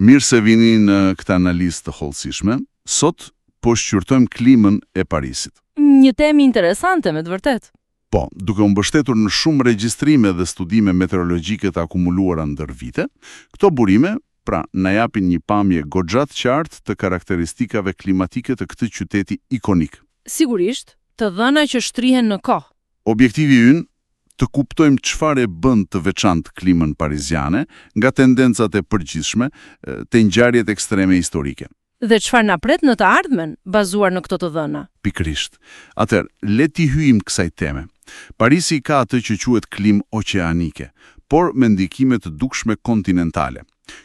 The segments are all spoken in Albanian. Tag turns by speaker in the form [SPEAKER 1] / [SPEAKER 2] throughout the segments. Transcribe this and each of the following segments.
[SPEAKER 1] Mirë se vini në këtë analizë të hollësishme. Sot po shqyrtojmë klimën e Parisit.
[SPEAKER 2] Një temë interesante me të vërtetë.
[SPEAKER 1] Po, duke u mbështetur në shumë regjistrime dhe studime meteorologjike të akumuluara ndër vite, këto burime, pra, na japin një pamje goxha të qartë të karakteristikave klimatike të këtij qyteti ikonik.
[SPEAKER 2] Sigurisht, të dhëna që shtrihen në kohë.
[SPEAKER 1] Objektivi ynë, të kuptojmë çfarë e bën të veçantë klimën pariziane, nga tendencat e përgjithshme te ngjarjet ekstreme historike.
[SPEAKER 2] Dhe çfarë na pret në të ardhmen, bazuar në këto të dhëna.
[SPEAKER 1] Pikërisht. Atëherë, le t'i hyjmë kësaj teme. Parisi ka atë që quhet klimë oqeanike, por me ndikime të dukshme kontinentale.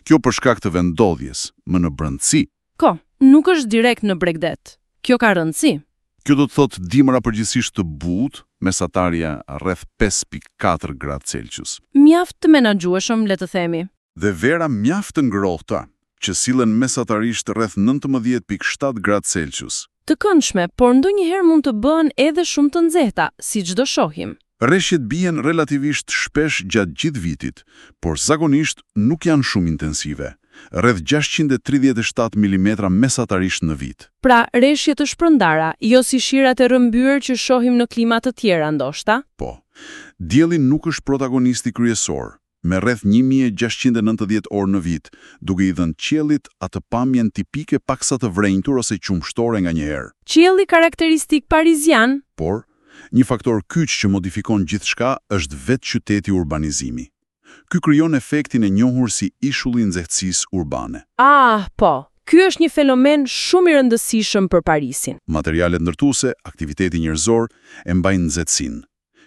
[SPEAKER 1] Kjo për shkak të vendndodhjes, më në brendësi.
[SPEAKER 2] Po, nuk është direkt në bregdet. Kjo ka rëndësi.
[SPEAKER 1] Kjo do të thotë dimra përgjithsisht të butë, mesatarja rreth 5.4 gradë Celsius.
[SPEAKER 2] Mjaft të menaxhueshëm, le të themi.
[SPEAKER 1] Dhe vera mjaft të ngrohta, që sillen mesatarisht rreth 19.7 gradë Celsius.
[SPEAKER 2] Të këndshme, por ndonjëherë mund të bëhen edhe shumë të nxehta, siç do shohim.
[SPEAKER 1] Reshjet bien relativisht shpesh gjatë gjithë vitit, por zakonisht nuk janë shumë intensive, rreth 637 mm mesatarisht në vit.
[SPEAKER 2] Pra, reshje të shpërndara, jo si shirat e rrëmbyer që shohim në klima të tjera ndoshta.
[SPEAKER 1] Po. Dielli nuk është protagonisti kryesor, me rreth 1690 orë në vit, duke i dhënë qiellit atë pamjen tipike paksa të vrenjtur ose qumshtore nganjëherë.
[SPEAKER 2] Qielli karakteristik parizian?
[SPEAKER 1] Por, një faktor kyç që modifikon gjithçka është vetë qyteti urbanizimi. Ky krijon efektin e njohur si ishulli i nxehtësisë urbane.
[SPEAKER 2] Ah, po. Ky është një fenomen shumë i rëndësishëm për Parisin.
[SPEAKER 1] Materialet ndërtuese, aktiviteti njerëzor e mbajnë nxehtësinë.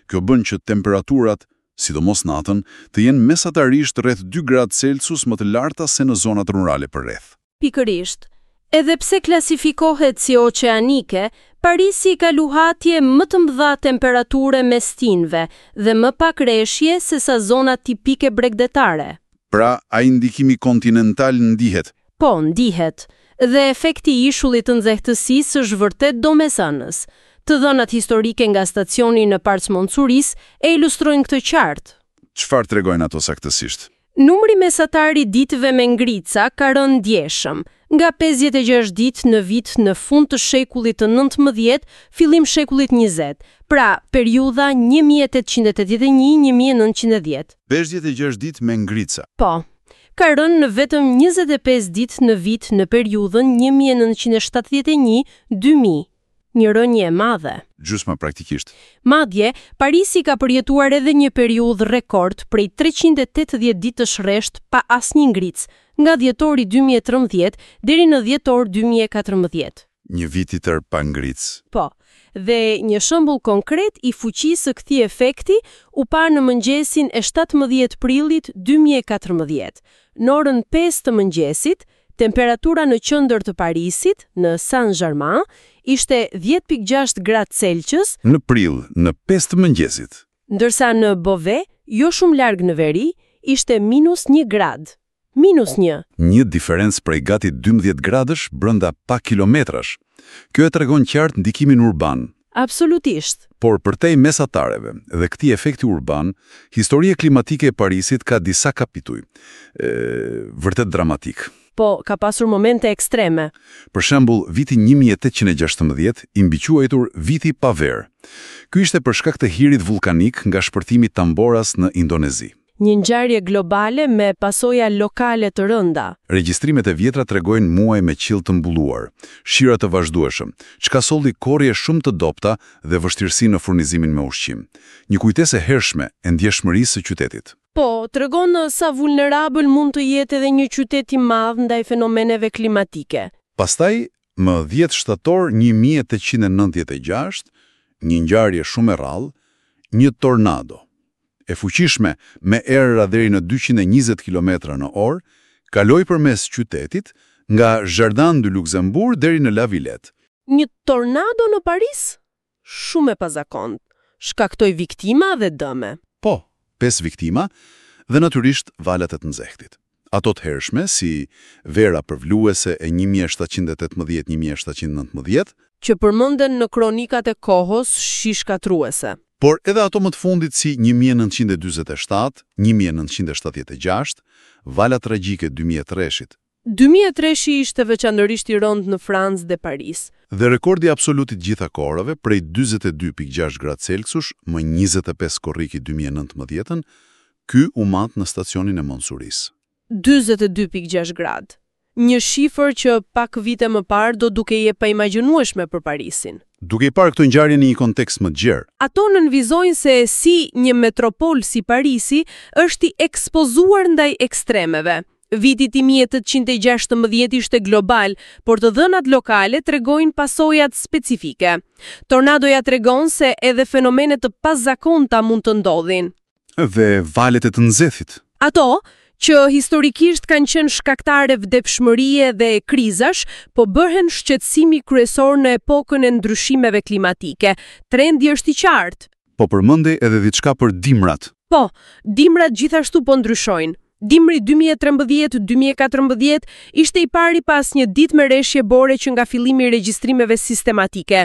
[SPEAKER 1] Kjo bën që temperaturat, sidomos natën, të jenë mesatarisht rreth 2 gradë Celsius më të larta se në zonat rurale përreth.
[SPEAKER 3] Pikërisht. Edhe pse klasifikohet si oqeanike, Parisi ka luhatje më të mëdha temperature mes stinëve dhe më pak reshje se sa zonat tipike bregdetare.
[SPEAKER 1] Pra, ai ndikimi kontinental ndihet.
[SPEAKER 3] Po, ndihet. Dhe efekti i ishullit të nxehtësisë është vërtet domethënës. Të dhënat historike nga stacioni në Parc Montsouris e ilustrojnë këtë qartë.
[SPEAKER 1] Çfarë tregojnë ato saktësisht?
[SPEAKER 3] Numri mesatar i ditëve me ngrica ka rënë ndjeshëm, nga 56 ditë në vit në fund të shekullit të 19, fillim shekullit 20, pra periudha 1881-1910.
[SPEAKER 1] 56 ditë me ngrica.
[SPEAKER 3] Po, ka rënë në vetëm 25 ditë në vit në periudhën 1971-2000, një rënie e madhe.
[SPEAKER 1] Gjysma praktikisht.
[SPEAKER 3] Madje, Parisi ka përjetuar edhe një periudhë rekord prej 380 ditësh rresht pa asnjë ngricë, nga dhjetori 2013 deri në dhjetor 2014.
[SPEAKER 1] Një vit i tërë pa ngricë.
[SPEAKER 3] Po, dhe një shembull konkret i fuqisë së këtij efekti u pa në mëngjesin e 17 prillit 2014. Në orën 5 të mëngjesit, temperatura në qendër të Parisit, në Saint-Germain, ishte 10.6 gradë Celsius,
[SPEAKER 1] Në prill, në 5 të mëngjesit.
[SPEAKER 3] ndërsa në Beauvais, jo shumë larg në veri, ishte minus 1 gradë. Minus 1.
[SPEAKER 1] Një diferencë prej gati 12 gradësh brenda pak kilometrash. Kjo e tregon qartë ndikimin urban.
[SPEAKER 3] Absolutisht.
[SPEAKER 1] Por përtej mesatareve dhe këtij efekti urban, historia klimatike e Parisit ka disa kapituj, e, vërtet dramatik.
[SPEAKER 3] Po, ka pasur momente ekstreme.
[SPEAKER 1] Për shembull, viti 1816 i mbiquajtur viti pa verë. Ky ishte për shkak të hirit vullkanik nga shpërthimi Tamboras në Indonezi.
[SPEAKER 3] Një ngjarje globale me pasoja lokale të rënda.
[SPEAKER 1] Regjistrimet e vjetra tregojnë muaj me qiell të mbuluar, shira të vazhdueshëm, çka solli korrje shumë të dobta dhe vështirësi në furnizimin me ushqim. Një kujtesë e hershme e ndjeshmërisë së qytetit.
[SPEAKER 3] Po, tregon sa vulnerabël mund të jetë edhe një qytet i madh ndaj fenomeneve klimatike.
[SPEAKER 1] Pastaj, më 10 shtator 1896, një ngjarje shumë e rrallë, një tornado e fuqishme me erëra deri në 220 km në orë, kaloi përmes qytetit nga Jardin du Luxembourg deri në La Villette.
[SPEAKER 3] Një tornado në Paris? Shumë e pazakont. Shkaktoi viktima dhe dëme.
[SPEAKER 1] Po, pesë viktima dhe natyrisht valat e të nxehtit. Ato të hershme, si vera përvluese e 1718-1719,
[SPEAKER 3] Që përmenden në kronikat e kohës si shkatërruese.
[SPEAKER 1] por edhe ato më të fundit si 1947, 1976, vala tragjike 2003-shit.
[SPEAKER 3] 2003-shi ishte veçanërisht i rëndë në Francë dhe Paris.
[SPEAKER 1] Dhe rekordi absolut i të gjitha kohërave prej 42.6 gradë Celsius më 25 korrik i 2019-ën, ky u mat në stacionin e Montsouris.
[SPEAKER 3] 42.6 gradë. Një shifër që pak vite më parë do dukej e paimagjinueshme për Parisin.
[SPEAKER 1] Duke i parë këto ngjarje në një kontekst më të gjerë,
[SPEAKER 3] Ato nënvizojnë se si një metropol si Parisi është i ekspozuar ndaj ekstremeve. Viti 1816 ishte global, por të dhënat lokale tregojnë pasojat specifike. Tornadoja tregon se edhe fenomene të pazakonta mund të ndodhin.
[SPEAKER 1] Dhe valet e të nxehtit.
[SPEAKER 3] Ato, që historikisht kanë qenë shkaktare vdekshmërie dhe krizash, po bëhen shqetësimi kryesor në epokën e ndryshimeve klimatike. Trendi është i qartë.
[SPEAKER 1] Po përmendej edhe diçka për dimrat.
[SPEAKER 3] Po, dimrat gjithashtu po ndryshojnë. Dimri 2013-2014 ishte i pari pas një ditë me reshje bore që nga fillimi i regjistrimeve sistematike.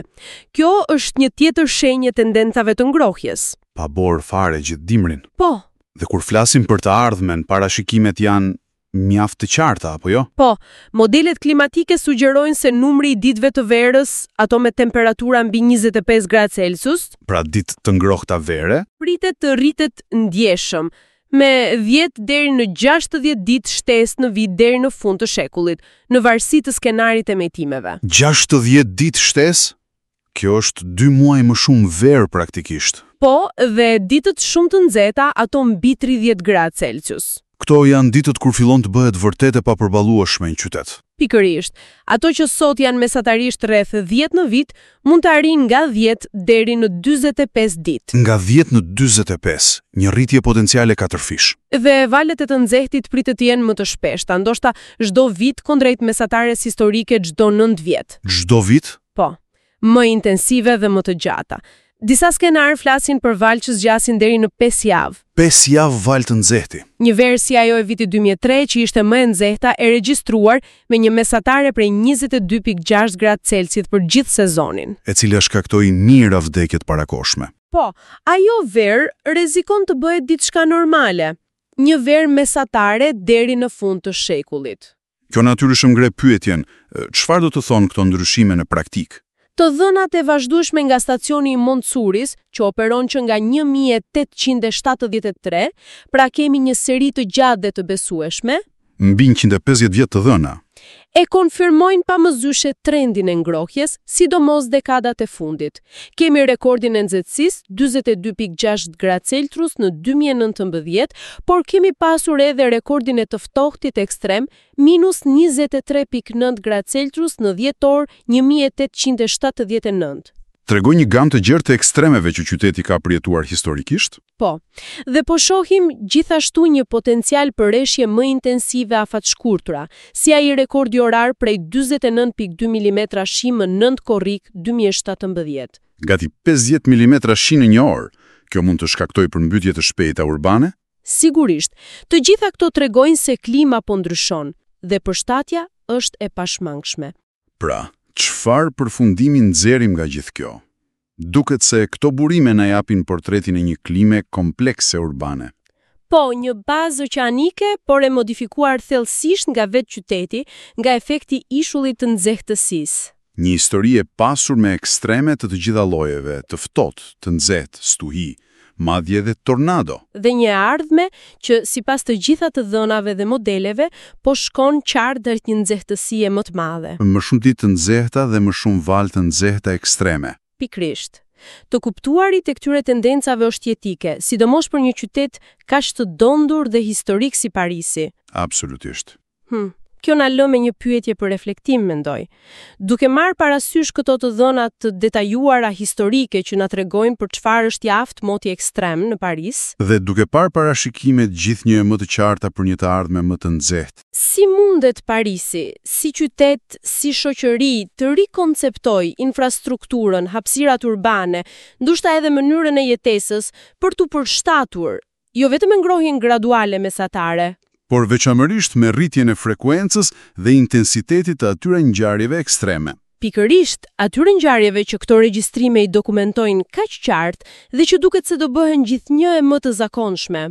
[SPEAKER 3] Kjo është një tjetër shenjë e tendencave të ngrohjes.
[SPEAKER 1] Pa borë fare gjithë dimrin.
[SPEAKER 3] Po,
[SPEAKER 1] Dhe kur flasim për të ardhmen, parashikimet janë mjaft të qarta, apo jo?
[SPEAKER 3] Po, modelet klimatike sugjerojnë se numri i ditëve të verës, ato me temperatura mbi 25 gradë Celsius,
[SPEAKER 1] Pra ditë të ngrohta vere,
[SPEAKER 3] pritet të rritet ndjeshëm, me 10 deri në 60 ditë shtesë në vit deri në fund të shekullit, në varësi të skenarit e emetimeve.
[SPEAKER 1] 60 ditë shtesë? Kjo është 2 muaj më shumë verë praktikisht.
[SPEAKER 3] Po, dhe ditët shumë të nxehta, ato mbi 30 gradë Celsius.
[SPEAKER 1] Këto janë ditët kur fillon të bëhet vërtet e papërballueshme në qytet.
[SPEAKER 3] Pikërisht, ato që sot janë mesatarisht rreth 10 në vit, mund të arrijnë nga 10 deri në 45 ditë.
[SPEAKER 1] Nga 10 në 45, një rritje potenciale katërfish.
[SPEAKER 3] Dhe valët e të nxehtit pritet të jenë më të shpeshta, ndoshta çdo vit kundrejt mesatares historike çdo 9 vjet.
[SPEAKER 1] Çdo vit?
[SPEAKER 3] Po, më intensive dhe më të gjata. Disa skenarë flasin për valë që zgjasin deri në 5 javë.
[SPEAKER 1] 5 javë valë të nxehti.
[SPEAKER 3] Një verë si ajo e vitit 2003 që ishte më e nxehta e regjistruar me një mesatare prej 22.6 gradë Celsius për gjithë sezonin.
[SPEAKER 1] E cila shkaktoi mijëra vdekje të parakohshme.
[SPEAKER 3] Po, ajo verë rrezikon të bëhet diçka normale, një verë mesatare deri në fund të shekullit.
[SPEAKER 1] Kjo natyrshëm ngre pyetjen, çfarë do të thonë këto ndryshime në praktikë?
[SPEAKER 3] Të dhënat e vazhdueshme nga stacioni i Montsouris, që operon që nga 1873, pra kemi një seri të gjatë dhe të besueshme,
[SPEAKER 1] Mbi 150 vjet të dhëna.
[SPEAKER 3] e konfirmojnë pa mëzyshe trendin e ngrohjes, sidomos dekadat e fundit. Kemi rekordin e nxehtësisë 42.6 gradë Celsius në 2019, por kemi pasur edhe rekordin e të ftohtit ekstrem minus 23.9 gradë Celsius në dhjetor 1879.
[SPEAKER 1] Tregoj një gamë të gjerë të ekstremeve që qyteti ka përjetuar historikisht?
[SPEAKER 3] Po, dhe po shohim gjithashtu një potencial për reshje më intensive afatshkurtura, si ai rekordi orar prej 49.2 mm shi më 9 korrik 2017.
[SPEAKER 1] Gati 50 mm shi në një orë. Kjo mund të shkaktojë përmbytje të shpejta urbane?
[SPEAKER 3] Sigurisht, të gjitha këto tregojnë se klima po ndryshon dhe përshtatja është e pashmangshme.
[SPEAKER 1] Pra, çfarë përfundimi nxjerrim nga gjithë kjo? Duket se këto burime na japin portretin e një klime komplekse urbane.
[SPEAKER 3] Po, një bazë oqeanike, por e modifikuar thellësisht nga vetë qyteti, nga efekti i ishullit të nxehtësisë.
[SPEAKER 1] Një histori e pasur me ekstreme të të gjitha llojeve, të ftohtë, të nxehtë, stuhi, madje edhe tornado.
[SPEAKER 3] Dhe një e ardhme që sipas të gjitha të dhënave dhe modeleve, po shkon qartë drejt një nxehtësie më të madhe.
[SPEAKER 1] Më shumë ditë të nxehta dhe më shumë valë të nxehta ekstreme.
[SPEAKER 3] Pikërisht. Të kuptuarit e këtyre tendencave është jetike, sidomos për një qytet kaq të dendur dhe historik si Parisi.
[SPEAKER 1] Absolutisht.
[SPEAKER 3] Kjo na lë me një pyetje për reflektim, mendoj. Duke marrë parasysh këto të dhëna të detajuara historike që na tregojnë për çfarë është i aftë moti ekstrem në Paris,
[SPEAKER 1] Dhe duke parë parashikimet gjithnjë e më të qarta për një të ardhme më të nxehtë.
[SPEAKER 3] Si mundet Parisi, si qytet, si shoqëri, të rikonceptoj infrastrukturën, hapësirat urbane, ndoshta edhe mënyrën e jetesës për t'u përshtatur, jo vetëm me ngrohjen graduale mesatare,
[SPEAKER 1] por veçanërisht me rritjen e frekuencës dhe intensitetit të atyre ngjarjeve ekstreme.
[SPEAKER 3] Pikërisht, atyre ngjarjeve që këto regjistrime i dokumentojnë kaq qartë dhe që duket se do bëhen gjithnjë e më të zakonshme.